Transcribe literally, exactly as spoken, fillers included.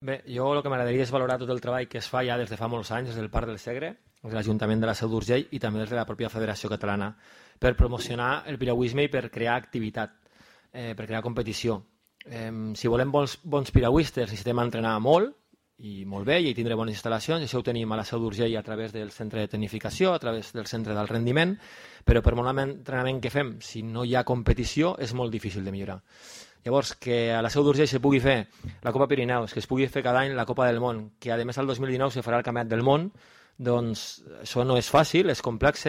Bé, jo el que m'agradaria és valorar tot el treball que es fa ja des de fa molts anys des del Parc del Segre, des de l'Ajuntament de la Seu d'Urgell i també des de la pròpia Federació Catalana per promocionar el piragüisme i per crear activitat, eh, per crear competició. Eh, si volem bons, bons piragüistes necessitem entrenar molt i molt bé i tindre bones instal·lacions, i això ho tenim a la Seu d'Urgell a través del centre de tecnificació, a través del centre d'alt rendiment, però per molt entrenament que fem, si no hi ha competició, és molt difícil de millorar. Llavors, que a la Seu d'Urgell se pugui fer la Copa Pirineus, que es pugui fer cada any la Copa del Món, que a més el dos mil dinou se farà el Campionat del Món, doncs això no és fàcil, és complex,